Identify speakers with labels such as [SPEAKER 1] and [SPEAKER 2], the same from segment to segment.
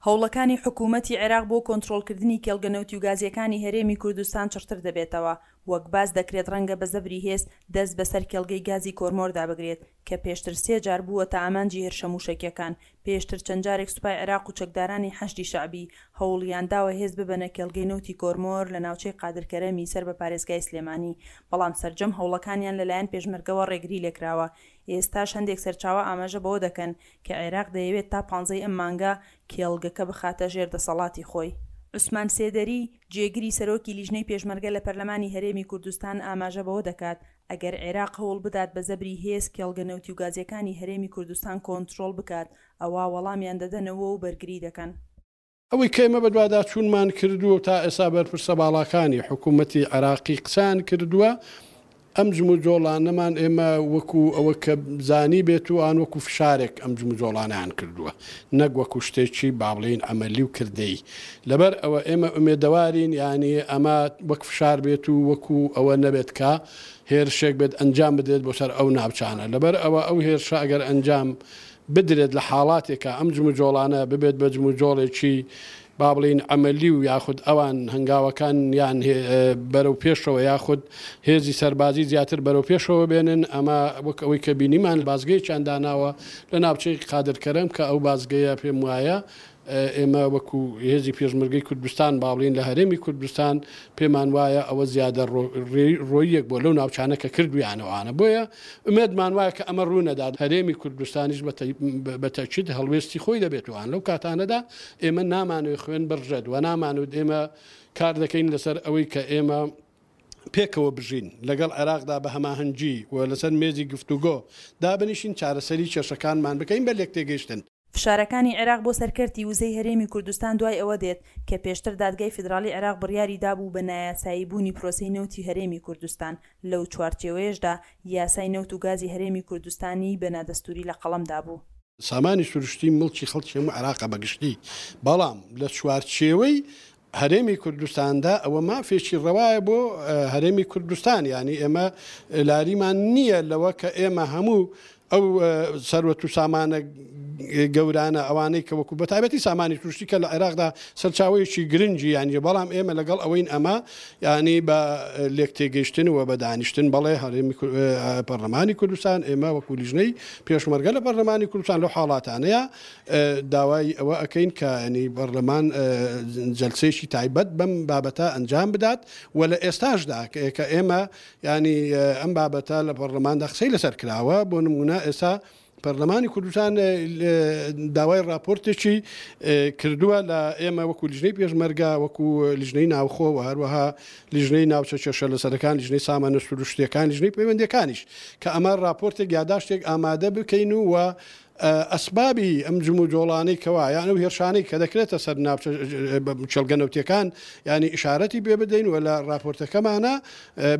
[SPEAKER 1] هەوڵەکانی حکوومەتی عێراق بۆ کۆنترۆڵکردنی کێڵگە نەوتی و گازییەکانی هەرێمی کوردستان چڕتر دەبێتەوە، وەک باس دەکرێت ڕەنگە بە زەبری هێز دەست بەسەر کێڵگەی گازی کۆرمۆردا بگرێت کە پێشتر سێ جار بووەتە ئامانجی هێرشە مووشەکییەکان. پێشتر چەند جارێک سوپای عێراق و چەکدارانی حەشدی شەعبی هەوڵیان داوە هێز ببەنە کێڵگەی نەوتی کۆرمۆر لە ناوچەی قادرکەرەمی سەر بە پارێزگای سلێمانی، بەڵام سەرجەم هەوڵەکانیان لەلایەن پێشمەرگەوە ڕێگری لێکراوە. ئێستاش هەندێک سەرچاوە ئاماژە بەوە دەکەن کە عێراق دەیەوێت تا پانزەی ئەم مانگە کێڵگەکە بخاتە ژێر دەسەڵاتی خۆی. عوسمان سێدەری، جێگری سەرۆکی لیژنەی پێشمەرگە لە پەرلەمانی هەرێمی کوردستان ئاماژە بەوە دەکات، ئەگەر عێراق هەوڵ بدات بە زەبری هێز کێڵگە نەوتی و گازییەکانی هەرێمی کوردستان کۆنترۆڵ بکات، ئەوا وەڵامیان دەدەنەوە و بەرگری دەکەن.
[SPEAKER 2] ئەوەی کە ئێمە بەدواداچوونمان کردووە و تا ئێستا بەرپرسە باڵاکانی حکوومەتی عێراقی قسەیان کردووە، ئەم جموجۆڵانەمان ئێمە وەکو ئەوە کە زانیبێت و ئان وەکو فشارێک ئەم جموجۆڵانەیان کردووە نەک وەکو شتێکی با بڵێین عەمەلی و کردەیی. لەبەر ئەوە ئێمە ئومێدەوارین یانی ئەمە وەک فشار بێت و وەکو ئەوە نەبێت کە هێرشێک بێت ئەنجام بدرێت بۆ سەر ئەو ناوچانە. لەبەر ئەوە ئەو هێرشە ئەگەر ئەنجام بدرێت لە حاڵاتێکا ئەم جموجۆڵانە ببێت بە جموجۆڵێکی با بڵێین عەمەلی و یاخود ئەوان هەنگاوەکانیان بەرەو پێشەوە یاخود هێزی سەربازی زیاتر بەرەو پێشەوە بێنن ئەمە وەک ئەوەی کە بینیمان بازگەیەکیان داناوە لە ناوچەی قادر کەرەم کە ئەو بازگەیە پێم وایە ئێمە وەکو هێزی پێشمەرگەی کوردستان با بڵێین لە هەرێمی کوردستان پێمان وایە ئەوە زیادە ڕۆییەک بووە لەو ناوچانە کە کردویانە ئەوانە بۆیە ئومێدمان وایە کە ئەمە ڕوو نەدات هەرێمی کوردستانیش بە تەئکید هەڵوێستی خۆی دەبێت و لەو کاتانەدا ئێمە نامانەوێت خوێن بڕژێت و نامانەوێت ئێمە کار دەکەین لەسەر ئەوەی کە ئێمە پێکەوە بژین لەگەڵ عێراقدا بە هەماهەنگی و لەسەر مێزی گفتوگۆ دابنیشین چارەسەری کێشەکانمان بکەین بە لێکتێگەیشتن.
[SPEAKER 1] فشارەکانی عێراق بۆ سەر کەرتی وزەی هەرێمی کوردستان دوای ئەوە دێت کە پێشتر دادگای فیدراڵی عێراق بڕیاری دابوو بە نایاسایی بوونی پرۆسەی نەوتی هەرێمی کوردستان، لەو چوارچێوەیەشدا یاسای نەوت و گازی هەرێمی کوردستانی بە نادەستووری لە قەڵەم دابوو.
[SPEAKER 2] سامانی سروشتی موڵکی خەڵکی هەموو عێراقە بە گشتی، بەڵام لە چوارچێوەی هەرێمی کوردستاندا ئەوە مافێکی ڕەوایە بۆ هەرێمی کوردستان یانی ئێمە لاریمان نییە لەوە کە ئێمە هەموو ئەو سەروەت و سامانە گەورانە ئەوانەی کە وەکو بەتایبەتی سامانی سروشتی کە لە عێراقدا سەرچاوەیەکی گرنگی یانی بەڵام ئێمە لەگەڵ ئەوەین ئەمە ینی بە لێک تێگەیشتن و بە دانیشتن بەڵێ هەرێمی پەرلەمانی کوردستان ئێمە وەکو لیژنەی پێشمەرگە لە پەرلەمانی کوردستان لەو حاڵاتانەیە داوای ئەوە ئەکەین کە ینی پەرلەمان جەلسەیەکی تایبەت بەم بابەتە ئەنجام بدات و لە ئێستاشدا کە ئێمە ینی ئەم بابەتە لە پەرلەماندا قسەی لەسەر کراوە بۆ نمونە ئێستا پەرلەمانی کوردستان داوای راپۆرتێکی کردووە لە ئێمە وەکو لیژنەی پێشمەرگە وەکو لیژنەی ناوخۆ و هەروەها لیژنەی ناوچە کێشە لەسەرەکان لیژنەی سامانە سروشتیەکان لیژنەی پەیوەندیەکانیش کە ئەمە راپۆرتێک یاداشتێک ئامادە بکەین و ئەسبابی ئەم جموجۆڵانەی کەوا یان ئەو هێرشانەی کە دەکرێتە سەر ناوچە کێڵگە نەوتیەکان یانی ئیشارەتی پێ بدەین و لە ڕاپۆرتەکەمانا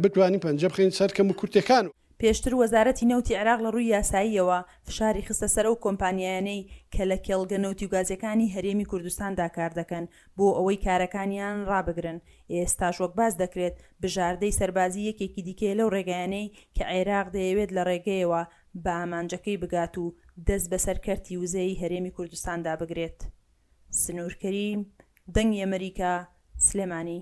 [SPEAKER 2] بتوانین پەنجە بخەین سەر کەموکورتیەکان.
[SPEAKER 1] پێشتر وەزارەتی نەوتی عێراق لە ڕووی یاساییەوە فشاری خستە سەر ئەو کۆمپانیایانەی کە لە کێڵگە نەوتی و گازیەکانی هەرێمی کوردستاندا کاردەکەن بۆ ئەوەی کارەکانیان ڕابگرن، ئێستاش وەک باس دەکرێت بژاردەی سەربازی یەکێکی دیکەیە لەو ڕێگایانەی کە عێراق دەیەوێت لە ڕێگەیەوە بە ئامانجەکەی بگات و دەست بەسەر کەرتی وزەی هەرێمی کوردستاندا بگرێت. سنوور کەریم، دەنگی ئەمەریکا، سلێمانی.